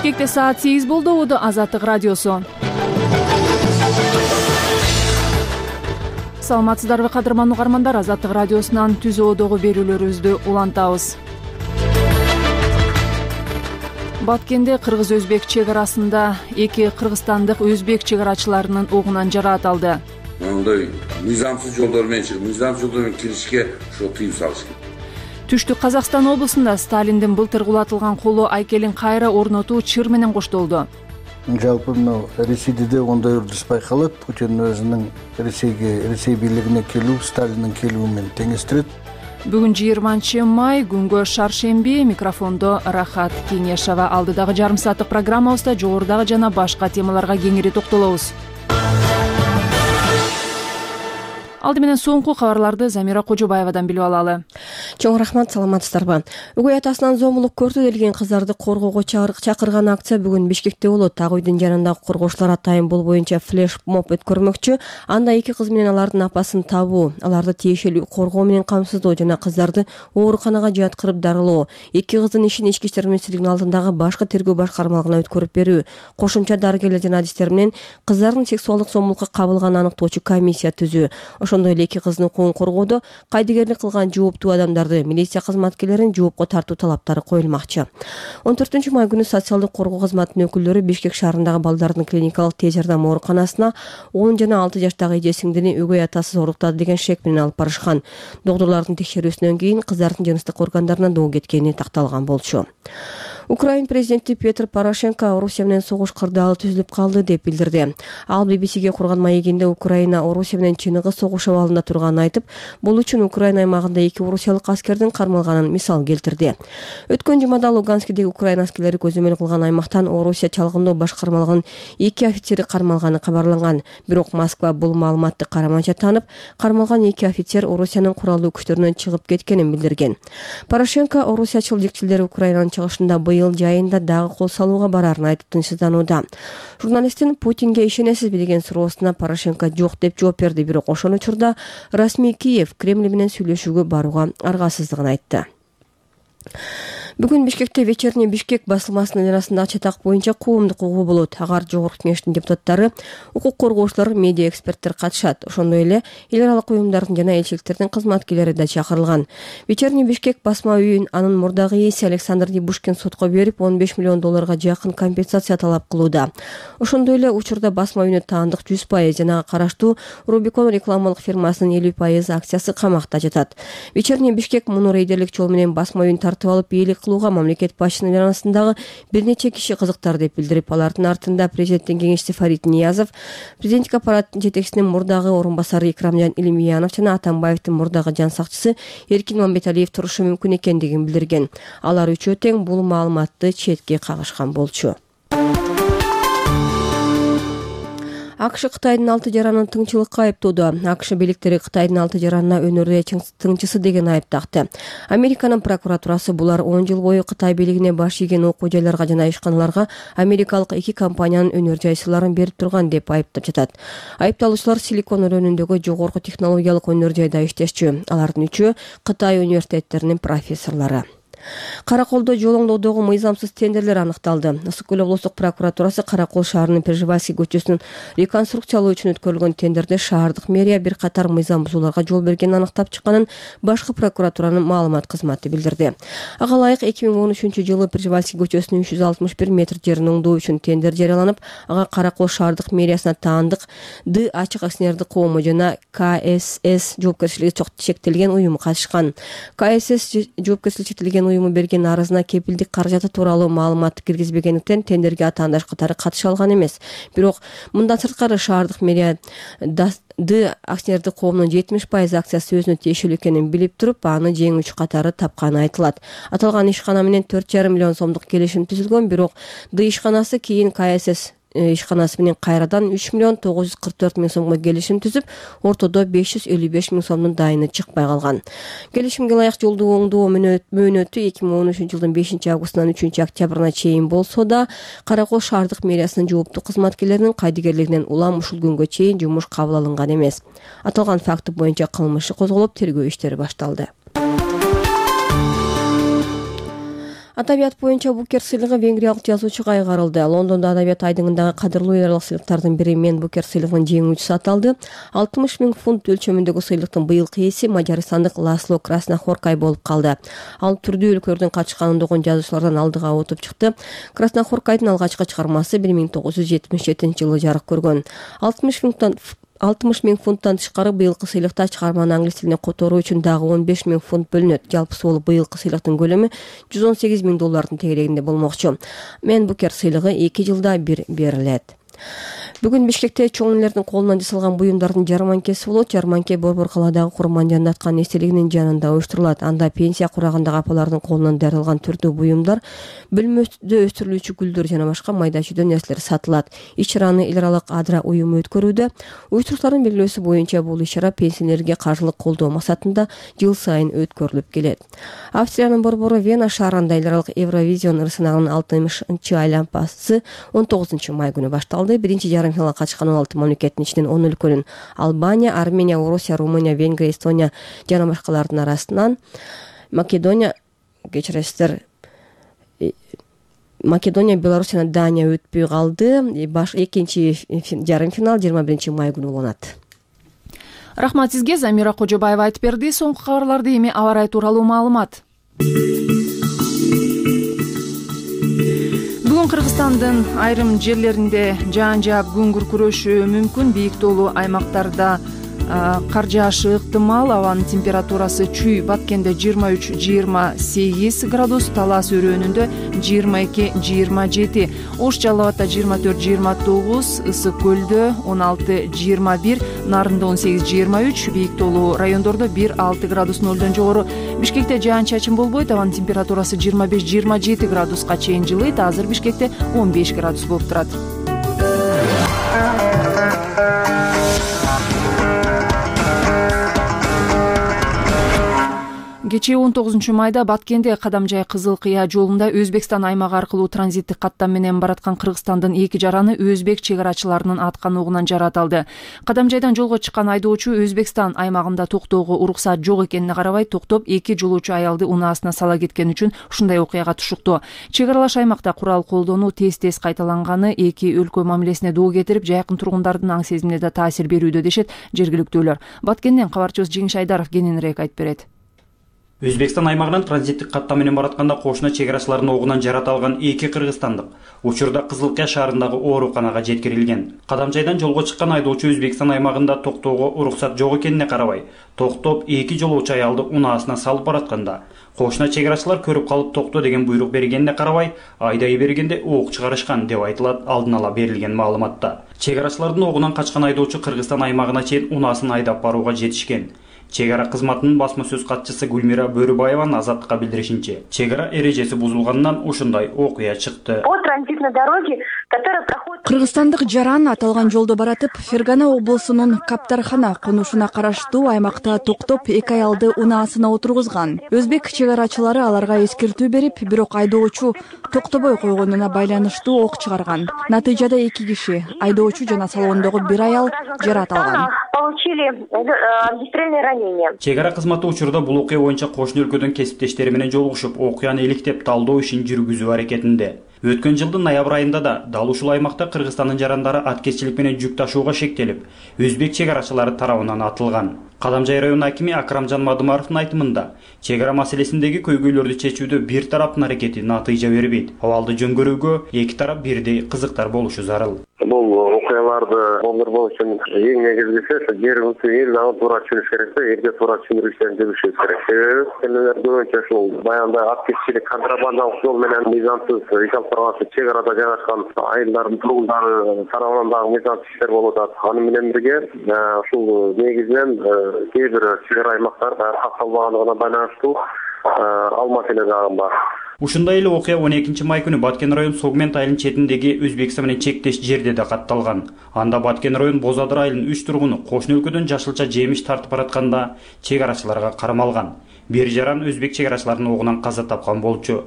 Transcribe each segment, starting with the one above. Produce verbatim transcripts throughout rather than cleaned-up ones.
Бишкекте саат сегиз болду. Убуду Азаттык радиосу. Саламатсыздарбы кадырман угармандар, Азаттык радиосунан түз оодогу берүүлөрүбүздү улантабыз. Баткенде кыргыз-өзбек чек арасында эки кыргызстандык өзбек чек арачыларынын угунан жараат алды. Мындай мыйзамсыз жолдор менен чыгып, мыйзамсыз жолдор менен киришке ошо тыюу салыш керек. Түштүк Казакстан облусунда Сталиндин былтыр кулатылган коло айкелин кайра орнотуу чыр менен коштолду. Жалпы мына Ресейде де ондай үрдүс байкалат. Путин өзүнүн Ресейге, Ресей бийлигине келүү Сталиндин келүү менен теңештирет. Бүгүн жыйырманчы май, күнгө шаршемби. Микрофондо Рахат Кеңешова. Алдыдагы жарым сааттык программабызда жогорудагы жана башка темаларга кеңири токтолобуз. Алды менен соңку кабарларды Замира Кожобаевадан билип алалы. Чоң рахмат, саламатсыздарбы. Өгөй атасынан зомбулук көрдү делген кыздарды коргоого чакырган акция бүгүн Бишкекте болот. Ак үйдүн жанындагы коргоочулар атайын бул боюнча флеш-моб өткөрмөкчү. Анда эки кыз менен алардын апасын табуу, аларды тиешелүү коргоо менен камсыздоо жана кыздарды ооруканага жаткырып дарылоо, эки кыздын ишин Ички иштер министрлигинин алдындагы башкы тергөө башкармалыгына өткөрүп берүү, кошумча дарыгерлер жана адистер менен кыздардын сексуалдык зомбулукка кабылганын аныктоочу комиссия түзүү. Ошондой эле эки кыздын укугун коргоодо кайдыгерлик кылган жооптуу адамдарды, милиция кызматкерлерин жоопко тартуу талаптары коюлмакчы. он төртүнчү май күнү социалдык коргоо кызматынын өкүлдөрү Бишкек шаарындагы балдардын клиникалык тез жардам ооруканасына он жана алты жаштагы эже сиңдини өгөй атасы оруктады деген шек менен алып барышкан. Доктурлардын текшерүүсүнөн кийин кыздардын жыныстык органдарына доо кеткени такталган болчу. Украин президенти Петр Порошенко Орусия менен согуш кырдаалы түзүлүп калды деп билдирди. Ал би би сиге курган маегинде Украина Орусия менен чыныгы согуш абалында турганын айтып, бул үчүн Украина аймагында эки орусиялык аскердин кармалганын мисал келтирди. Өткөн жумада Луганскидеги Украина аскерлери көзөмөл кылган аймактан Орусия чалгындоо башкармалыгынын эки офицери кармалганы кабарланган. Бирок Москва бул маалыматты караманча таанып, кармалган эки офицер Орусиянын куралдуу күчтөрүнөн чыгып кеткенин билдирген. Порошенко орусиячыл жекчилдери Украинанын чыгышында быйыл жайында дагы кол салууга барарын айтып тынчсызданууда. Журналисттин Путинге ишенесизби деген суроосуна Порошенко жок деп жооп берди, бирок ошол учурда расмий Киев Кремль менен сүйлөшүүгө барууга аргасыздыгын айтты. Бүгүн Бишкекте вечерний Бишкек басылмасынын арасындагы чатак боюнча коомдук угуу болот. Агар жогорку кеңештин депутаттары, укук коргоочулар, медиа эксперттер катышат. Ошондой эле эл аралык уюмдардын жана элчиликтердин кызматкерлери да чакырылган. Вечерний Бишкек басма үйүн анын мурдагы ээси Александр Дебушкин сотко берип, он беш миллион долларга жакын компенсация талап кылууда. Ошондой эле учурда басма үйүнө таандык жүз пайыз жана караштуу Рубикон рекламалык фирмасынын элүү пайыз акциясы камакта жатат. Вечерний Бишкек муну рейдерлик жол менен басма үйүн тартып алып ээлик мамлекет башчынын арасындагы бир нече киши кызыктар деп билдирип, алардын артында президенттин кеңешчиси Фарид Ниязов, президенттик аппараттын жетекчисинин мурдагы орун басары Икрамжан Илимьянов жана Атамбаевдин мурдагы жан сакчысы Эркин Мамбеталиев турушу мүмкүн экендигин билдирген. Алар үчөө тең бул маалыматты четке кагышкан болчу. АКШ Кытайдын алты жаранын тыңчылыкка айыптоодо. АКШ бийликтери Кытайдын алты жаранына өнөрдө тыңчысы деген айып такты. Американын прокуратурасы булар он жыл бою Кытай бийлигине баш ийген окуу жайларга жана ишканаларга америкалык эки компаниянын өнөр жайсыларын берип турган деп айыптап жатат. Айыпталуучулар Силикон өрөөнүндөгү жогорку технологиялык өнөр жайда иштешчү. Алардын үчөө Кытай университеттеринин профессорлору. Караколдо жолоңдоодогу мыйзамсыз тендерлер аныкталды. Ысык көл облустук прокуратурасы Каракол шаарынын Пржевальский көчөсүнүн реконструкциялоо үчүн өткөрүлгөн тендерде шаардык мэрия бир катар мыйзам бузууларга жол бергенин аныктап чыкканын башкы прокуратуранын маалымат кызматы билдирди. Ага ылайык эки миң он үчүнчү жылы Пржевальский көчөсүнүн үч жүз алтымыш бир метр жерин оңдоо үчүн тендер жарыяланып, ага Каракол шаардык мэриясына таандык Д ачык акционердик коому жана К С С жоопкерчилиги чектелген уюму катышкан. К С С жоопкерчилиги чектелген уюму берген арызына кепилдик каражаты тууралуу маалыматты киргизбегендиктен тендерге атаандаш катары катыша алган эмес. Бирок мындан сырткары шаардык мэрия Д акционердик коомунун жетимиш пайыз акциясы өзүнө тиешелүү экенин билип туруп, аны жеңүүчү катары тапканы айтылат. Аталган ишкана менен төрт жарым миллион сомдук келишим түзүлгөн, бирок Д ишканасы кийин К С С ишканасы менен кайрадан үч миллион тогуз жүз кырк төрт миң сомго келишим түзүп, ортодо беш жүз элүү беш миң сомдун дайыны чыкпай калган. Келишимге ылайык жолдуу оңдоо мөөнөтү эки миң он үчүнчү жылдын бешинчи августунан үчүнчү октябрына чейин болсо да, Каракол шаардык мэриясынын жооптуу кызматкерлеринин кайдыгерлигинен улам ушул күнгө чейин жумуш кабыл алынган эмес. Аталган факты боюнча кылмыш иши козголуп, тергөө иштери башталды. Адабият боюнча Букер сыйлыгы венгриялык жазуучуга кайгарылды. Лондондо Адабият айдыңындагы кадырлуу эрлик сыйлыктардын бири Мен Букер сыйлыгынын жеңүүчүсү аталды. алтымыш миң фунт өлчөмүндөгү сыйлыктын быйылкы ээси мажарстандык Ласло Краснохоркай болуп калды. Ал түрдүү өлкөлөрдүн катышкан ондогон жазуучулардан алдыга отуп чыкты. Краснохоркайдын алгачкы чыгармасы бир миң тогуз жүз жетимиш жетинчи жылы жарык көргөн. алтымыш миңден алтымыш миң фунттан тышкары быйылкы сыйлыкта чыгарманы англис тилине которуу үчүн дагы он беш миң фунт бөлүнөт. Жалпысы болуп быйылкы сыйлыктын көлөмү жүз он сегиз миң доллардын тегерегинде болмокчу. Мен Букер сыйлыгы эки жылда бир берилет. Бүгүн Бишкекте чоң элердин колунан жасалган буюмдардын жарманкеси болот. Жарманке Борбор калаадагы Курмандиянын аткан эстелигинин жанында уюштурулат. Анда пенсия курагындагы апалардын колунан даярдалган түрдүү буюмдар, бөлмөдө өстүрүлүүчү гүлдөр жана башка майда чүйдө нерселер сатылат. Иш-чараны эл аралык Адра уюму өткөрүүдө. Уюштуруктардын белгилөөсү боюнча бул иш-чара пенсионерге каржылык колдоо максатында жыл сайын өткөрүлүп келет. Австриянын борбору Вена шаарында эл аралык Евровизион ырсынагынын алтымышынчы айланпасы он тогузунчу май күнү башталды. Биринчи жарым финалга катышкан он алты мамлекеттин ичинен он өлкөнүн Албания, Армения, Орусия, Румыния, Венгрия, Эстония жана башкалардын арасынан Македония, кечиресиздер, Македония, Беларусь жана Дания өтпөй калды. Баш экинчи жарым финал жыйырма биринчи май күнү болот. Рахмат сизге. Замира Кожобаева айтып берди. Соңку кабарларды эми аба ырайы тууралуу маалымат. Бүгүн Кыргызстандын айрым жерлеринде жаан жаап күн күркүрөшү мүмкүн. Бийик тоолуу аймактарда кар жаашы ыктымал. Абанын температурасы чүй Баткенде жыйырма үч жыйырма сегиз градус, Талас өрөөнүндө жыйырма эки жыйырма жети, Ош Жалал Абадда жыйырма төрт жыйырма тогуз, Ысык Көлдө он алты жыйырма бир, Нарында он сегиз жыйырма үч, бийик тоолуу райондордо бир алты градус нолдон жогору. Бишкекте жаан чачын болбойт. Абанын температурасы жыйырма беш жыйырма жети градуска чейин жылыйт. Азыр Бишкекте он беш градус болуп турат. Кечээ он тогузунчу майда Баткенде Кадамжай Кызыл Кыя жолунда Өзбекстан аймагы аркылуу транзиттик каттам менен бараткан Кыргызстандын эки жараны өзбек чек арачыларынын аткан угунан жаратылды. Кадамжайдан жолго чыккан айдоочу Өзбекстан аймагында токтоого уруксат жок экенине карабай токтоп, эки жолоочу аялды унаасына сала кеткен үчүн ушундай окуяга түшүктү. Чек аралаш аймакта курал колдонуу тез-тез кайталанганы эки өлкө мамилесине доо кетирип, жакын тургундардын аң сезимине да таасир берүүдө дешет жергиликтүүлөр. Баткенден кабарчыбыз Жеңиш Айдаров кененирээк айтып берет. Өзбекстан аймагынан транзиттик каттам менен баратканда кошуна чек арачылардын огунан жаратылган эки кыргызстандык учурда Кызыл Кыя шаарындагы ооруканага жеткирилген. Кадамжайдан жолго чыккан айдоочу Өзбекстан аймагында токтоого уруксат жок экенине карабай, токтоп эки жолоочу аялды унаасына салып баратканда, кошуна чек арачылар көрүп калып токто деген буйрук бергенине карабай, айдай бергенде ок чыгарышкан деп айтылат алдын ала берилген маалыматта. Чек арачылардын огунан качкан айдоочу Кыргызстан аймагына чейин унаасын айдап барууга жетишкен. Чек ара кызматынын басма сөз катчысы Гүлмира Бөрүбаеванын Азаттыкка билдиришинче, чек ара эрежеси бузулганынан ушундай окуя чыкты. По транзитной дороге, которая проходит Кыргызстандык жаран аталган жолдо баратып, Фергана облусунун Каптархана конушуна караштуу аймакта токтоп, эки аялды унаасына отургузган. Өзбек чек арачылары аларга эскертүү берип, бирок айдоочу токтобой койгонуна байланыштуу ок чыгарган. Натыйжада эки киши, айдоочу жана салондогу бир аял жарат алган. Получили огнестрельное ранение. Чек ара кызматы учурда бул окуя боюнча кошуна өлкөдөн кесиптештери менен жолугушуп, окуяны иликтеп талдоо ишин жүргүзүү аракетинде. Өткөн жылдын ноябрь айында да дал ушул аймакта Кыргызстандын жарандары аткезчилик менен жүк ташууга шектелип, өзбек чек арачылары тарабынан атылган. Кадамжай район акими Акрамжан Мадымаровдун айтымында, чек ара маселесиндеги көйгөйлөрдү чечүүдө бир тараптын аракети натыйжа бербейт. Абалды жөнгөрүүгө эки тарап бирдей кызыктар болушу зарыл. Бул окуяларды болдуруу үчүн эң негизгиси жерибизди эл аны туура түшүнүш керек да, элге туура түшүндүрүштөрүн жүргүзүш керек. Себеби көбүнчө ушул баягындай аткезчилик, контрабандалык жол менен мыйзамсыз иш алып барган чек арада жайгашкан айылдардын тургундары тарабынан дагы мыйзамсыз иштер болуп атат. Аны менен бирге ушул негизинен кээ бир чек ара аймактар катталбагандыгына байланыштуу ал маселе дагы бар. Ушундай эле окуя он экинчи май күнү Баткен район Согмент айылынын четиндеги Өзбекстан менен чектеш жерде да катталган. Анда Баткен район Бозадыр айылынын үч тургуну кошуна өлкөдөн жашылча жемиш тартып баратканда чек арачыларга кармалган. Бир жаран өзбек чек арачыларынын огунан каза тапкан болчу.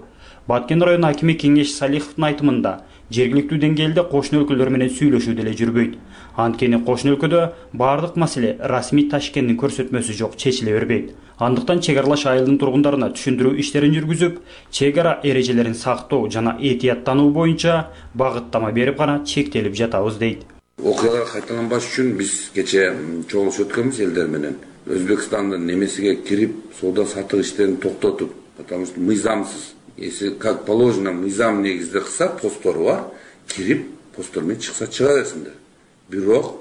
Баткен район акими Кеңеш Салиховдун айтымында, жергиликтүү деңгээлде кошуна өлкөлөр менен сүйлөшүү деле жүрбөйт. Анткени кошуна өлкөдө бардык маселе расмий Ташкенттин көрсөтмөсү жок чечиле бербейт. Андыктан чек аралаш айылдын тургундарына түшүндүрүү иштерин жүргүзүп, чек ара эрежелерин сактоо жана этияттануу боюнча багыттама берип гана чектелип жатабыз дейт. Окуялар кайталанбаш үчүн биз кече чогулуш өткөнбүз элдер менен. Өзбекстандын немесиге кирип, соода сатык иштерин токтотуп, потому что мыйзамсыз, если как положено мыйзам негизде кылса постору бар, кирип постор менен чыкса чыга берсиндер. Бирок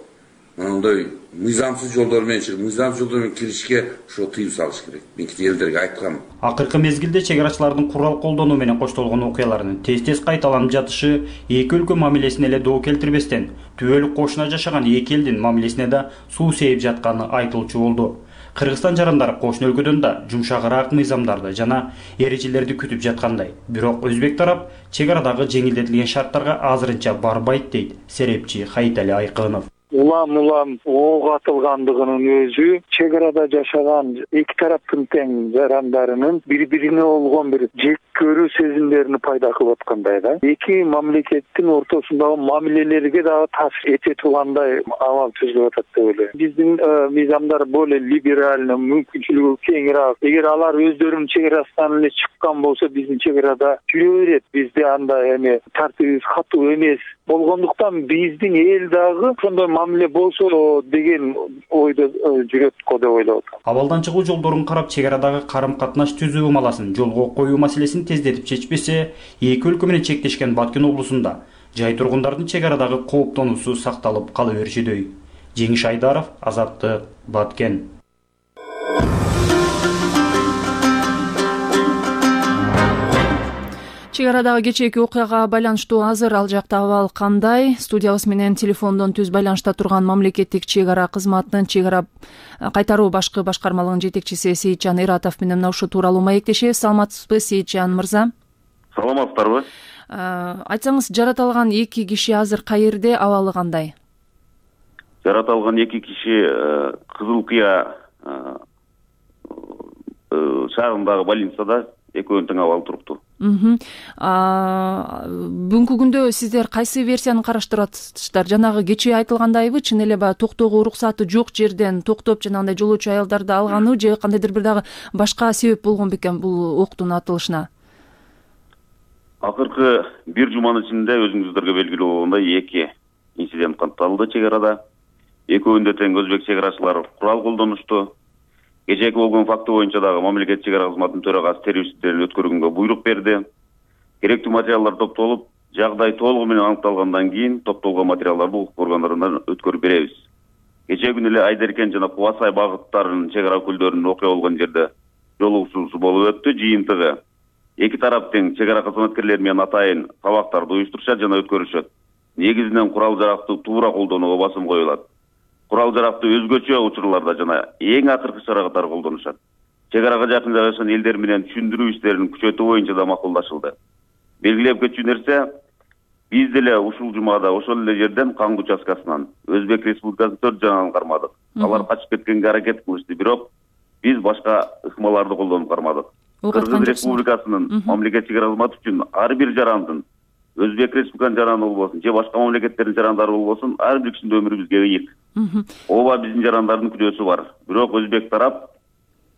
мындай мыйзамсыз жолдор менен чыгып, мыйзамсыз жолдор менен киришке ошо тыюу салыш керек. Мен кете элдерге айткам. Акыркы мезгилде чек арачылардын курал колдонуу менен коштолгон окуяларынын тез-тез кайталанып жатышы эки өлкө мамилесине эле доо келтирбестен, түбөлүк кошуна жашаган эки элдин мамилесине да суу сээп жатканы айтылчу болду. Кыргызстан жарандары кошуна өлкөдөн да жумшагыраак мыйзамдарды жана эрежелерди күтүп жаткандай. Бирок өзбек тарап чек арадагы жеңилдетилген шарттарга азырынча барбайт дейт серепчи Хайитали Айкынов. Улам-улам ок атылгандыгынын өзү чек арада жашаган эки тараптын тең жарандарынын бири-бирине болгон бир жек көрүү сезимдерин пайда кылып аткандай да. Эки мамлекеттин ортосундагы мамилелерге дагы таасир эте тургандай абал түзүлүп атат деп ойлойм. Биздин мыйзамдар более либеральный, мүмкүнчүлүгү кеңирээк. Эгер алар өздөрүнүн чек арасынан эле чыккан болсо, биздин чек арада жүрө берет. Бизде андай эме тартибибиз катуу эмес болгондуктан биздин эл дагы ошондой мамиле болсо деген ойдо жүрөт го деп ойлоп атам. Абалдан чыгуу жолдорун карап, чек арадагы карым-катнаш түзүү маласын жолго коюу маселесин тездетип чечпесе, эки өлкө менен чектешкен Баткен облусунда жай тургундардын чек арадагы кооптонуусу сакталып кала берчүдөй. Жеңиш Айдаров, Азаттык, Баткен. Чек арадагы кечээки окуяга байланыштуу азыр ал жакта абал кандай? Студиябыз менен телефондон түз байланышта турган мамлекеттик чек ара кызматынын чек ара кайтаруу башкы башкармалыгынын жетекчиси Сейитжан Иратов менен мына ушул тууралуу маектешебиз. Саламатсызбы, Сейитжан мырза? Саламатсыздарбы? Айтсаңыз, жараталган эки киши азыр каерде, абалы кандай? Жараталган эки киши Кызыл Кыя шаарындагы больницада экөөнүн тең абалы туруктуу. Бүгүнкү күндө сиздер кайсы версияны караштырып атасыздар? Жанагы кечээ айтылгандайбы, чын эле баягы токтоого уруксаты жок жерден токтоп жанагындай жолоочу аялдарды алганы же кандайдыр бир дагы башка себеп болгон бекен бул октун атылышына? Акыркы бир жуманын ичинде өзүңүздөргө белгилүү болгондой эки инцидент катталды чек арада. Экөөндө тең өзбек чек арачылары курал колдонушту. Кечээки болгон факты боюнча дагы мамлекеттик чек ара кызматынын төрагасы терүү иштерин өткөргөнгө буйрук берди. Керектүү материалдар топтолуп, жагдай толугу менен аныкталгандан кийин топтолгон материалдарды укук органдарынан өткөрүп беребиз. Кечээ күнү эле Айдеркен жана Кубасай багыттарынын чек ара өкүлдөрүнүн окуя болгон жерде жолугушуусу болуп өттү. Жыйынтыгы эки тарап тең чек ара кызматкерлери менен атайын сабактарды уюштурушат жана өткөрүшөт. Негизинен курал жаракты туура колдонууга басым коюлат. Курал жаракты өзгөчө учурларда жана эң акыркы чара катары колдонушат. Чек арага жакын жайгашкан элдер менен түшүндүрүү иштерин күчөтүү боюнча да макулдашылды. Белгилеп кетчү нерсе, биз деле ушул жумада ошол эле жерден Каңгы участкасынан Өзбек Республикасынын төрт жаранын кармадык. Алар качып кеткенге аракет кылышты, бирок биз башка ыкмаларды колдонуп кармадык. Кыргыз Республикасынын мамлекеттик чек ара кызматы үчүн ар бир жарандын, Өзбек Республикасынын жараны болбосун, же башка мамлекеттердин жарандары болбосун, ар бир кишинин өмүрү бизге ыйык. Ооба биздин жарандардын күнөөсү бар. Бирок өзбек тарап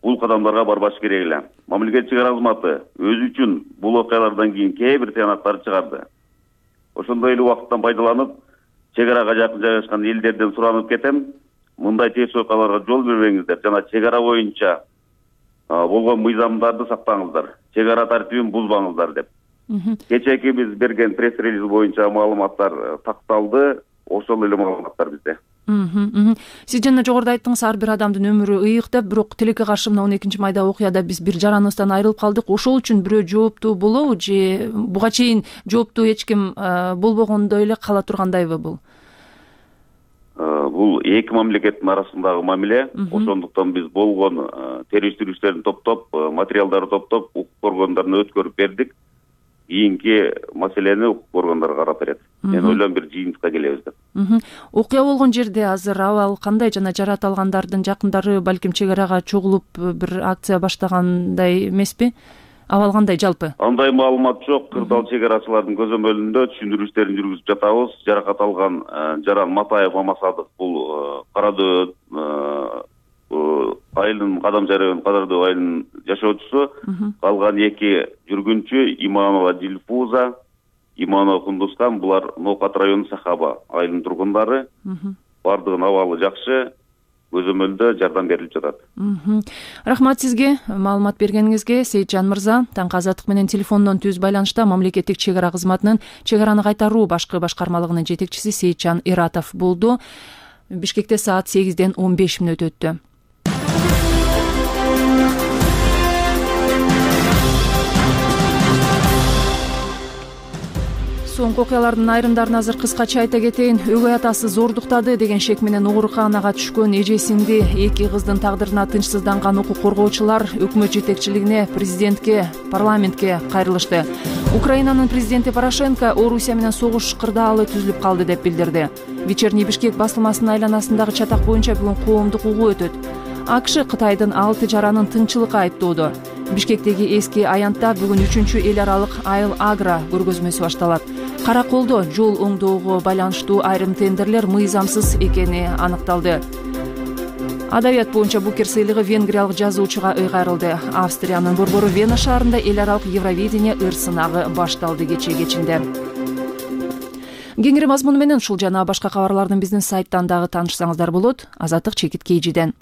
бул кадамдарга барбаш керек эле. Мамлекеттик чек ара кызматы өзү үчүн бул окуялардан кийин кээ бир тыянактарды чыгарды. Ошондой эле убакыттан пайдаланып, чек арага жакын жайгашкан элдерден суранып кетем, мындай терс окуяларга жол бербеңиздер жана чек ара боюнча болгон мыйзамдарды сактаңыздар. Чек ара тартибин бузбаңыздар деп. Кечээки биз берген пресс-релиз боюнча маалыматтар такталды, ошол эле маалыматтар бизде. Сиз жана жогоруда айттыңыз, ар бир адамдын өмүрү ыйык деп, бирок тилекке каршы мына он экинчи майда окуяда биз бир жараныбыздан айрылып калдык. Ошол үчүн бирөө жооптуу болобу же буга чейин жооптуу эч ким болбогондой эле кала тургандайбы бул? Бул эки мамлекеттин арасындагы мамиле. Ошондуктан биз болгон териштирүү иштерин топтоп, материалдарды топтоп, укук органдарына өткөрүп бердик. Кийинки маселени укук органдар карап берет. Мен ойлойм бир жыйынтыкка келебиз деп. Окуя болгон жерде азыр абал кандай жана жараталгандардын жакындары балким чек арага чогулуп бир акция баштагандай эмеспи? Абал кандай жалпы? Андай маалымат жок. Кырдал чек арачылардын көзөмөлүндө түшүндүрүү иштерин жүргүзүп жатабыз. Жаракат алган жаран Матаев Мамасадык бул Кара Дөбөт айылдын Кадамчы району Кадырдуу айылынын жашоочусу, калган эки жүргүнчү Иманова Дилфуза, Иманова Кундузхан, булар Ноокат району Сахаба айылынын тургундары. Бардыгынын абалы жакшы, көзөмөлдө жардам берилип жатат. Рахмат сизге маалымат бергениңизге, Сейитжан мырза. Таңкы Азаттык менен телефондон түз байланышта мамлекеттик чек ара кызматынын чек араны кайтаруу башкы башкармалыгынын жетекчиси Сейитжан Иратов болду. Бишкекте саат сегизден он беш мүнөт өттү. Соңку окуялардын айрымдарын азыр кыскача айта кетейин. Өгөй атасы зордуктады деген шек менен ооруканага түшкөн эжесинди, эки кыздын тагдырына тынчсызданган укук коргоочулар өкмөт жетекчилигине, президентке, парламентке кайрылышты. Украинанын президенти Порошенко Орусия менен согуш кырдаалы түзүлүп калды деп билдирди. Вечерний Бишкек басылмасынын айланасындагы чатак боюнча бүгүн коомдук угуу өтөт. АКШ Кытайдын алты жаранын тынчылыкка айыптоодо. Бишкектеги эски аянтта бүгүн үчүнчү эл аралык айыл агро көргөзмөсү башталат. Караколдо жол оңдоого байланыштуу айрым тендерлер мыйзамсыз экени аныкталды. Адабият боюнча Букер сыйлыгы венгриялык жазуучуга ыйгарылды. Австриянын борбору Вена шаарында эл аралык Евровидение ыр сынагы башталды кечээ кечинде. Кеңири мазмуну менен ушул жана башка кабарлардын биздин сайттан дагы таанышсаңыздар болот. Азаттык Чекит Кейжиден.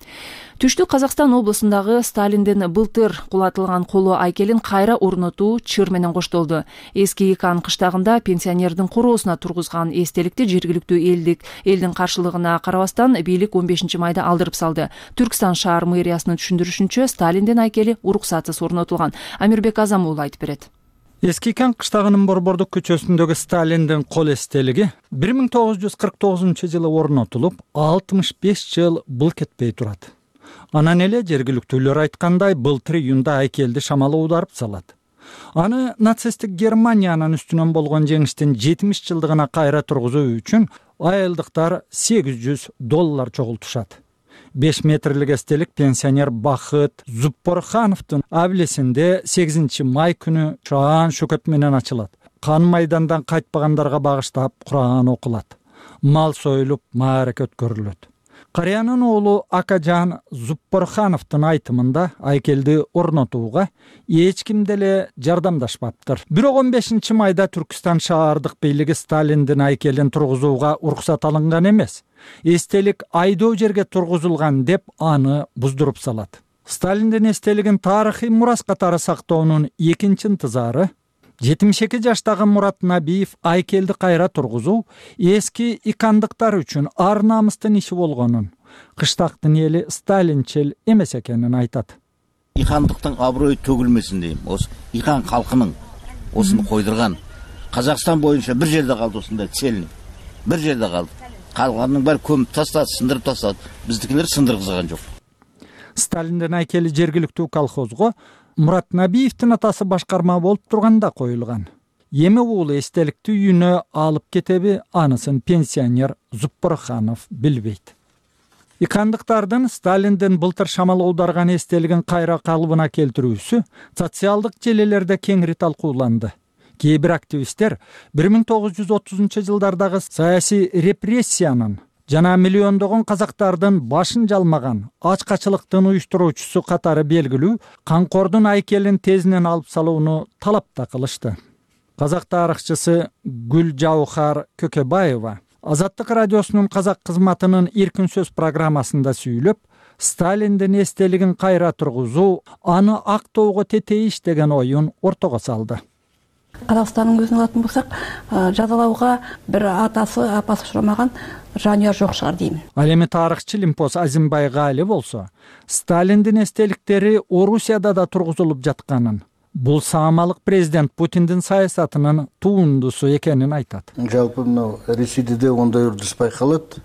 Түштүк Казакстан облусундагы Сталиндин былтыр кулатылган коло айкелин кайра орнотуу чыр менен коштолду. Эски Икан кыштагында пенсионердин короосуна тургузган эстеликти жергиликтүү элдик элдин каршылыгына карабастан бийлик он бешинчи майда алдырып салды. Түркстан шаар мэриясынын түшүндүрүшүнчө Сталиндин айкели уруксатсыз орнотулган. Амирбек Азам уулу айтып берет. Эски Икан кыштагынын Борбордук көчөсүндөгү Сталиндин кол эстелиги бир миң тогуз жүз кырк тогузунчу жылы орнотулуп, алтымыш беш жыл бул кетпей турат. Анан эле жергиликтүүлөр айткандай, былтыр июнда айкелди шамал уударып салат. Аны нацисттик Германиянын үстүнөн болгон жеңиштин жетимиш жылдыгына кайра тургузуу үчүн айылдыктар сегиз жүз доллар чогултушат. беш метрлик эстелик пенсионер Бахыт Зуппорхановдун абилесинде сегизинчи май күнү Шаан шөкөт менен ачылат. Кан майдандан кайтпагандарга багыштап Куран окулат. Мал союлуп, маарека өткөрүлөт. Карыянын уулу Акажан Зуппорхановдун айтымында айкелди орнотууга эч ким деле жардамдашпаптыр. Бирок он бешинчи майда Түркстан шаардык бийлиги Сталиндин айкелин тургузууга уруксат алынган эмес. Эстелик айдоо жерге тургузулган деп аны буздуруп салат. Сталиндин эстелигин тарыхый мурас катары сактоонун экинчи ынтызары жетимиш эки жаштагы Мурат Набиев айкелди кайра тургузуу эски икандыктар үчүн ар намыстын иши болгонун, кыштактын эли сталинчил эмес экенин айтат. Икандыктын аброю төгүлмесин дейм. Осы Икан калкынын осуну койдурган Казакстан боюнча бир жерде калды, осундай цельный. Бир жерде калды. Калганын баары көмүп тастады, сындырып тастады. Биздикилер сындыргызган жок. Сталиндин айкели жергиликтүү колхозго Мурат Набиевдин атасы башкарма болуп турганда коюлган. Эми уулу эстеликти үйүнө алып кетеби, анысын пенсионер Зуппорханов билбейт. Икандыктардын Сталиндин былтыр шамал оодарган эстелигин кайра калыбына келтирүүсү социалдык желелерде кеңири талкууланды. Кээ бир активисттер бир миң тогуз жүз отузунчу жылдардагы саясий репрессиянын жана миллиондогон казактардын башын жалмаган ачкачылыктын уюштуруучусу катары белгилүү Канкордун айкелин тезинен алып салууну талап да кылышты. Казак тарыхчысы Гүлжаухар Көкөбаева Азаттык радиосунун казак кызматынын Эркин сөз программасында сүйлөп, Сталиндин эстелигин кайра тургузуу аны актоого тетейиш деген оюн ортого салды. Казакстандын көзүн алатын болсак, жазалауга бир атасы, апасы учурамаган жануяр жок шығар деймин. Ал эми тарыхчы Лимпос Азимбай Гали болсо, Сталиндин эстеликтери Орусияда да тургузулуп жатканын, бул саамалык президент Путиндин саясатынын туындусу экенин айтат. Жалпы мына Ресейде де ондай үрдүс байкалат.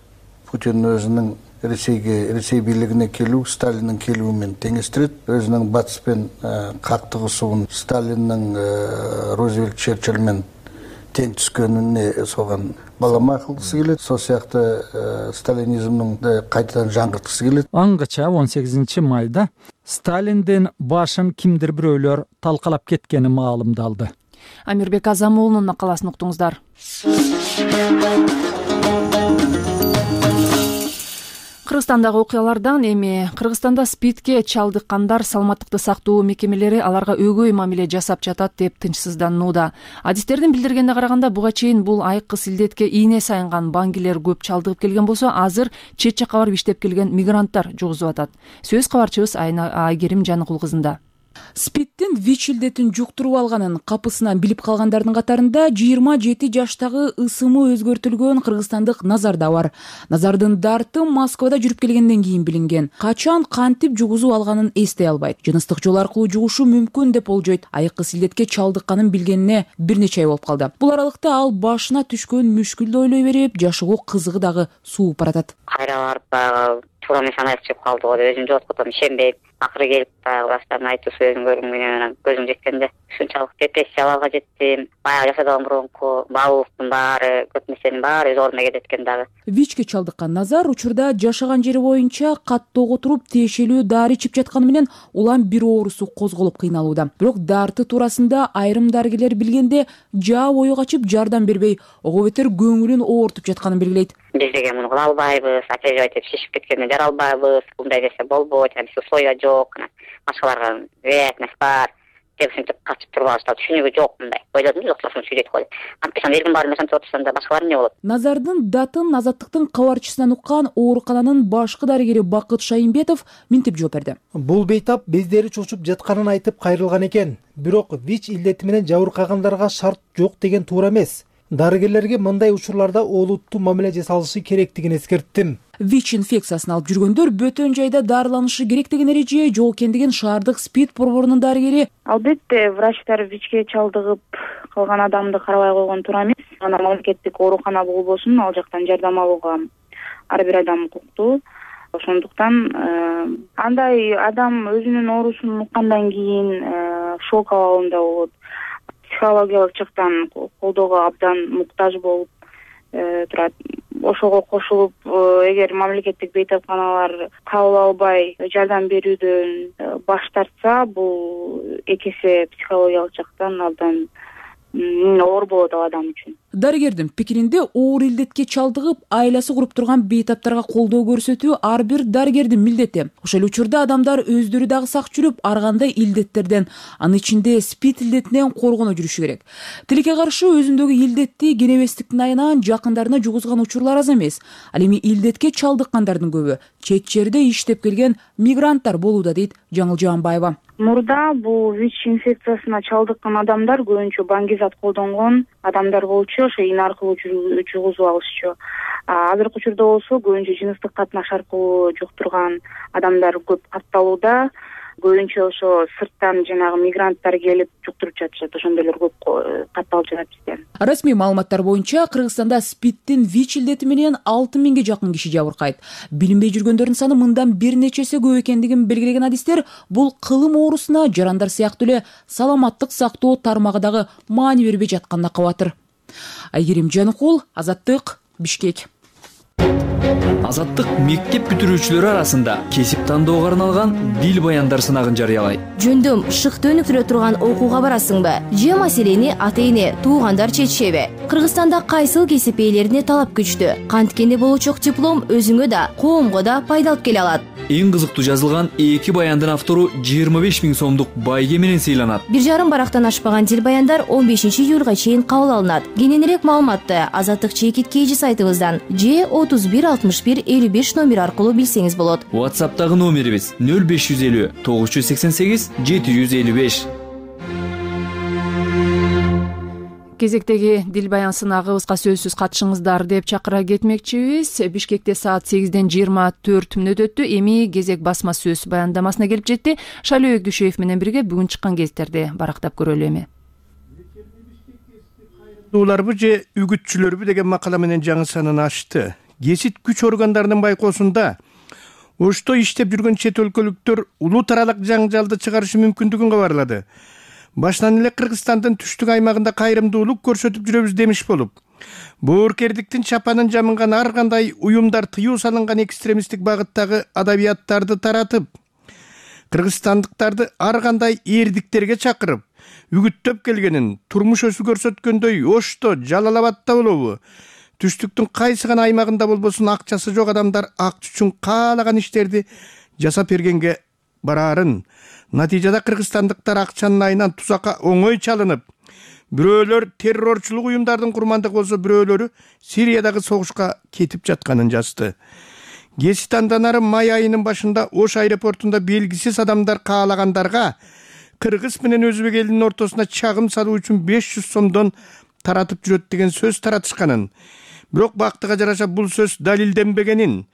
Путин өзүнүн Ресейге, Ресей бийлигине келүү Сталиндин келүү менен теңештирет. Өзүнүн батыспен каттыгысуун Сталиндин Рузвельт Черчилль менен тең түскөнүнө соган балама кылгысы келет. Сол сыяктуу сталинизмдин кайтадан жаңгырткысы келет. Аңгыча он сегизинчи майда Сталиндин башын кимдир бирөөлөр талкалап кеткени маалымдалды. Амирбек Азам уулунун макаласын уктуңуздар. Кыргызстандагы окуялардан эми Кыргызстанда спидке чалдыккандар саламаттыкты сактоо мекемелери аларга өгөй мамиле жасап жатат деп тынчсызданууда. Адистердин билдиргенине караганда буга чейин бул айкыс илдетке ийне сайынган баңгилер көп чалдыгып келген болсо, азыр чет жакка барып иштеп келген мигранттар жугузуп атат. Сөз кабарчыбыз Айгерим Жаныкул кызында. Спидтин ВИЧ илдетин жуктуруп алганын капысынан билип калгандардын катарында жыйырма жети жаштагы ысымы өзгөртүлгөн кыргызстандык Назар да бар. Назардын дарты Москвада жүрүп келгенден кийин билинген. Качан кантип жугузуп алганын эстей албайт. Жыныстык жол аркылуу жугушу мүмкүн деп болжойт. Айкыс илдетке чалдыкканын билгенине бир нече ай болуп калды. Бул аралыкта ал башына түшкөн мүшкүлдү ойлой берип, жашоого кызыгы дагы сууп баратат. Кайра барып туура эмес анайып чыгып калды го деп өзүм жооткотом ишенбейм. Акыры келип баягы баштарын айтуу сөзүн көргөнгө менен көзүм жеткенде ушунчалык депрессияларга жеттим. Баягы жашадаган мурунку баалуулуктун баары, көп нерсенин баары өз ордуна келет экен дагы. ВИЧке чалдыккан Назар учурда жашаган жери боюнча каттоого туруп тиешелүү дары ичип жатканы менен улам бир оорусу козголуп кыйналууда. Бирок дарты туурасында айрым дарыгерлер билгенде жаа бою качып жардам бербей, ого бетер көңүлүн оортуп жатканын белгилейт. Биз деген муну кыла албайбыз, оперировать этип шишип кеткенде жара албайбыз, мындай нерсе болбойт, анан условия жок, башкаларга вероятность бар деп ушинтип качып туруп алышат. Түшүнүгү жок мындай. Ойлодум, жокса ушуну сүйлөйт го деп. Антпесем элдин баары ошентип отурсам башкалар эмне болот? Назардын датын Азаттыктын кабарчысынан уккан оорукананын башкы дарыгери Бакыт Шайымбетов мынтип жооп берди. Бул бейтап бездери чочуп жатканын айтып кайрылган экен. Бирок ВИЧ илдети менен жабыркагандарга шарт жок деген туура эмес. Дарыгерлерге мындай учурларда олуттуу мамиле жасалышы керектигин эскерттим. ВИЧ инфекциясын алып жүргөндөр бөтөн жайда дарыланышы керек деген эреже жок экендигин шаардык СПИД борборунун дарыгери. Албетте, врачтар ВИЧке чалдыгып калган адамды карабай койгон туура эмес. Анан мамлекеттик оорукана болбосун, ал жактан жардам алууга ар бир адам укуктуу. Ошондуктан андай адам өзүнүн оорусун уккандан кийин шок абалында болот. Психологиялык жактан колдоого абдан муктаж болуп турат. Ошого кошулуп, эгер мамлекеттик бейтапканалар кабыл албай жардам берүүдөн баш тартса, бул эки эсе психологиялык жактан абдан оор болот ал адам үчүн. Дарыгердин пикиринде оор илдетке чалдыгып, айласы куруп турган бейтаптарга колдоо көрсөтүү ар бир дарыгердин милдети. Ошол учурда адамдар өздөрү дагы сак жүрүп, ар кандай илдеттерден, анын ичинде СПИД илдетинен коргоно жүрүшү керек. Тилекке каршы өзүндөгү илдетти кенебестиктин айынан жакындарына жугузган учурлар аз эмес. Ал эми илдетке чалдыккандардын көбү чет жерде иштеп келген мигранттар болууда, дейт Жаңыл Жаанбаева. Мурда бул ВИЧ инфекциясына чалдыккан адамдар көбүнчө баңгизат колдонгон адамдар болчу, ошо ин аркылуу жугузуп алышчу. Азыркы учурда болсо көбүнчө жыныстык катнаш аркылуу жуктурган адамдар көп катталууда. Көбүнчө ошо сырттан жанагы мигранттар келип жуктуруп жатышат. Ошондойлор көп катталып жатат бизде. Расмий маалыматтар боюнча Кыргызстанда СПИДтин ВИЧ илдети менен алты миңге жакын киши жабыркайт. Билинбей жүргөндөрдүн саны мындан бир нечеси көп экендигин белгилеген адистер бул кылым оорусуна жарандар сыяктуу эле саламаттык сактоо тармагы дагы маани бербей жатканына кабатыр. Айгерим Жаныкул, Азаттык, Бишкек. Азаттык мектеп бүтүрүүчүлөрү арасында кесип тандоого арналган дил баяндар сынагын жарыялайт. Жөндөм шыкты өнүктүрө турган окууга барасыңбы? Же маселени ата-эне, туугандар чечишеби? Кыргызстанда кайсыл кесип ээлерине талап күчтүү? Канткенде болочок диплом өзүңө да, коомго да пайда алып келе алат. Эң кызыктуу жазылган эки баяндын автору жыйырма беш миң сомдук байге менен сыйланат. Бир жарым барактан ашпаган дил баяндар он бешинчи июлга чейин кабыл алынат. Кененирээк маалыматты Азаттык чекит кейжи сайтыбыздан же отуз бир алтымыш бир элүү беш номер аркылуу билсеңиз болот. WhatsApp'тагы номерибиз нөл беш жүз элүү тогуз жүз сексен сегиз жети жүз элүү беш. Кезектеги дил баян сынагыбызга сөзсүз катышыңыздар деп чакыра кетмекчибиз. Бишкекте саат сегизден жыйырма төрт мүнөт өттү. Эми кезек басма сөз баяндамасына келип жетти. Шайлоо Өкдүшев менен бирге бүгүн чыккан кезектерди барактап көрөлү эми. Уларбы же үгүтчүлөрбү деген макала менен жаңы санын ачты. Кесип күч органдарынын байкоосунда ошто иштеп жүргөн чет өлкөлүктөр улуу таралык жаңжалды чыгарышы мүмкүндүгүн кабарлады. Баштан эле Кыргызстандын түштүк аймагында кайрымдуулук көрсөтүп жүрөбүз демиш болуп, боорукердиктин чапанын жамынган ар кандай уюмдар тыюу салынган экстремисттик багыттагы адабияттарды таратып, кыргызстандыктарды ар кандай эрдиктерге чакырып, үгүттөп келгенин турмуш өсү көрсөткөндөй Ошто, Жалал Абадда болобу, түштүктүн кайсы гана аймагында болбосун акчасы жок адамдар акча үчүн каалаган иштерди жасап бергенге бараарын, натыйжада кыргызстандыктар акчанын айынан тузакка оңой чалынып, бирөөлөр террорчулук уюмдардын курмандыгы болсо, бирөөлөрү Сириядагы согушка кетип жатканын жазды. Кесип андан ары май айынын башында Ош аэропортунда белгисиз адамдар каалагандарга кыргыз менен өзбек элинин ортосуна чагым салуу үчүн беш жүз сомдон таратып жүрөт деген сөз таратышканын, бирок бактыга жараша бул сөз далилденбегенин,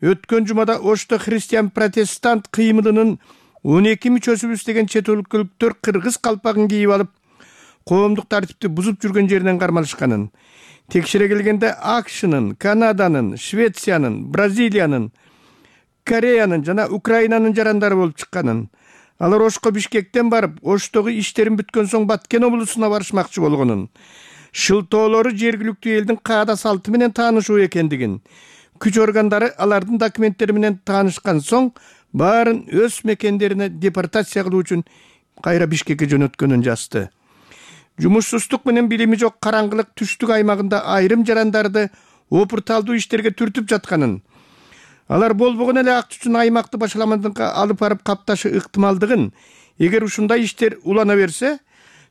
өткөн жумада Ошто христиан протестант кыймылынын он эки мүчөсүбүз деген чет өлкөлүктөр кыргыз калпагын кийип алып, коомдук тартипти бузуп жүргөн жеринен кармалышканын, текшере келгенде АКШнын, Канаданын, Швециянын, Бразилиянын, Кореянын жана Украинанын жарандары болуп чыкканын, алар Ошко Бишкектен барып, Оштогу иштерин бүткөн соң Баткен облусуна барышмакчы болгонун, шылтоолору жергиликтүү элдин каада салты менен таанышуу экендигин, күч органдары алардын документтери менен таанышкан соң баарын өз мекендерине депортация кылуу үчүн кайра Бишкекке жөнөткөнүн жазды. Жумушсуздук менен билими жок караңгылык түштүк аймагында айрым жарандарды опурталдуу иштерге түртүп жатканын, алар болбогон эле акча үчүн аймакты башаламадыкка алып барып капташы ыктымалдыгын, эгер ушундай иштер улана берсе,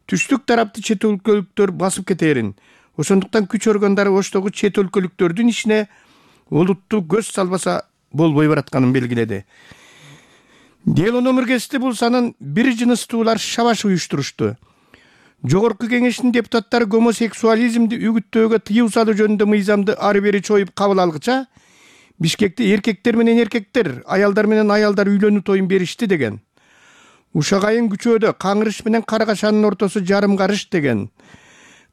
түштүк тарапты чет өлкөлүктөр басып кетерин. Ошондуктан күч органдары Оштогу чет өлкөлүктөрдүн ишине олуттуу көз салбаса болбой баратканын белгиледи. Дело номергесте бул санын бир жыныстуулар шабаш уюштурушту. Жогорку кеңештин депутаттары гомосексуализмди үгүттөөгө тыюу салуу жөнүндө мыйзамды ары бери чоюп кабыл алгыча, Бишкекте эркектер менен эркектер, аялдар менен аялдар үйлөнүү тоюн беришти деген. Ушак айын күчөөдө Каңырыш менен Карагашанын ортосу жарым карыш деген.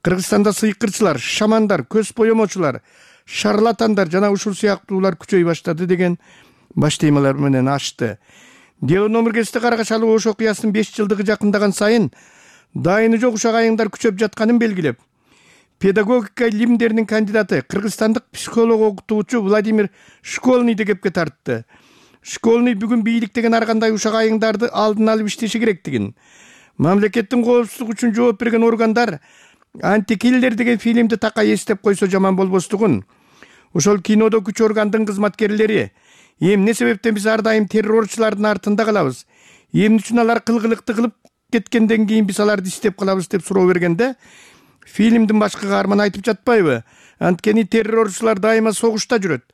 Кыргызстанда сыйкырчылар, шамандар, көз боемочулар, шарлатандар жана ушул сыяктуулар күчөй баштады деген баш темалар менен ачты. Дело номергесте Карагашалы Ош окуясынын беш жылдыгы жакындаган сайын дайыны жок ушак айыңдар күчөп жатканын белгилеп, педагогика илимдеринин кандидаты, кыргызстандык психолог окутуучу Владимир Школьныйды кепке тартты. Школьный бүгүн бийликтеген ар кандай ушак айыңдарды алдын алып иштеши керектигин, мамлекеттин коопсуздугу үчүн жооп берген органдар Антикиллер деген фильмди такай эстеп койсо жаман болбостугун, ошол кинодо күч органдын кызматкерлери эмне себептен биз ар дайым террорчулардын артында калабыз, эмне үчүн алар кылгылыкты кылып кеткенден кийин биз аларды издеп калабыз деп суроо бергенде, фильмдин башкы каарманы айтып жатпайбы? Анткени террорчулар дайыма согушта жүрөт,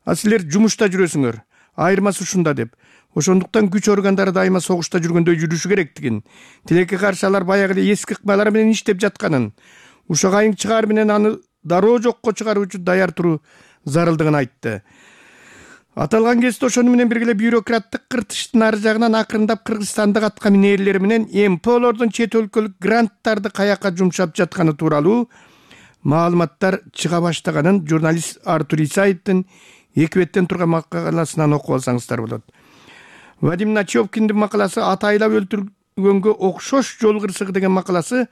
а силер жумушта жүрөсүңөр. Айырмасы ушунда деп. Ошондуктан күч органдары дайыма согушта жүргөндөй жүрүшү керектигин, тилекке каршы алар баягы эле эски ыкмалар менен иштеп жатканын, ушак айың чыгаар менен аны дароо жокко чыгаруу үчүн даяр туруу зарылдыгын айтты. Аталган кезде ошону менен бирге бюрократтык кыртыштын ары жагынан акырындап кыргызстандык атка минээрлери менен эм пэ-лордун чет өлкөлүк гранттарды каяка жумшап жатканы тууралуу маалыматтар чыга баштаганын журналист Артур Исаевдин эки беттен турган макаласынан окуп алсаңыздар болот. Вадим Начевкиндин макаласы атайлап өлтүргөнгө окшош жол кырсыгы деген макаласы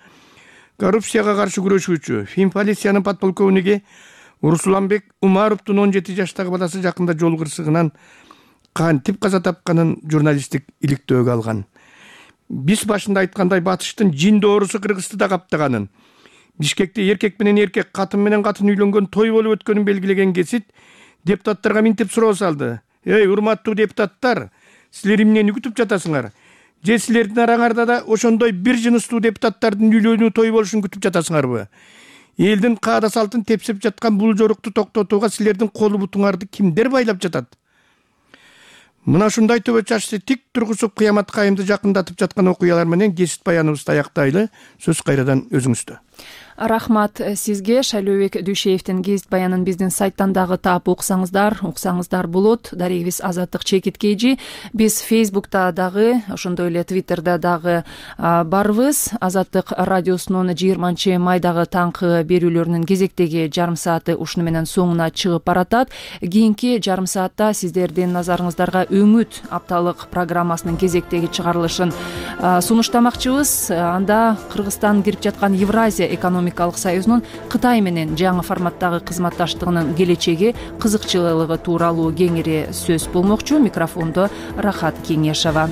коррупцияга каршы күрөшүүчү финполициянын подполковниги Урсуланбек Умаровдун он жети жаштагы баласы жакында жол кырсыгынан кантип каза тапканын журналисттик иликтөөгө алган. Биз башында айткандай батыштын жин доорусу Кыргызды да каптаганын, Бишкекте эркек менен эркек, катын менен катын үйлөнгөн той болуп өткөнүн белгилеген Кесит депутаттарга минтип суроо салды. Эй, урматтуу депутаттар, силер эмнени күтүп жатасыңар? Же силердин араңарда да ошондой бир жыныстуу депутаттардын үйлөнүү той болушун күтүп жатасыңарбы? Элдин каада салтын тепсеп жаткан бул жорукту токтотууга силердин колу бутуңарды кимдер байлап жатат? Мына ушундай төбө чачты тик тургузуп кыямат кайымды жакындатып жаткан окуялар менен кесип баяныбызды аяктайлы. Сөз кайрадан өзүңүздө. Рахмат сизге. Шайлообек Дүйшеевдин гезит баянын биздин сайттан дагы таап уксаңыздар, уксаңыздар болот. Дарегибиз Азаттык Чекит Кейжи. Биз Фейсбукта дагы, ошондой эле Твиттерде дагы барбыз. Азаттык радиосунун жыйырманчы майдагы таңкы берүүлөрүнүн кезектеги жарым сааты ушуну менен соңуна чыгып баратат. Кийинки жарым саатта сиздердин назарыңыздарга Өңүт апталык программасынын кезектеги чыгарылышын сунуштамакчыбыз. Анда Кыргызстан кирип жаткан Евразия экономикалык союзунун Кытай менен жаңы форматтагы кызматташтыгынын келечеги, кызыкчылыгы тууралуу кеңири сөз болмокчу. Микрофондо Рахат Кеңешова.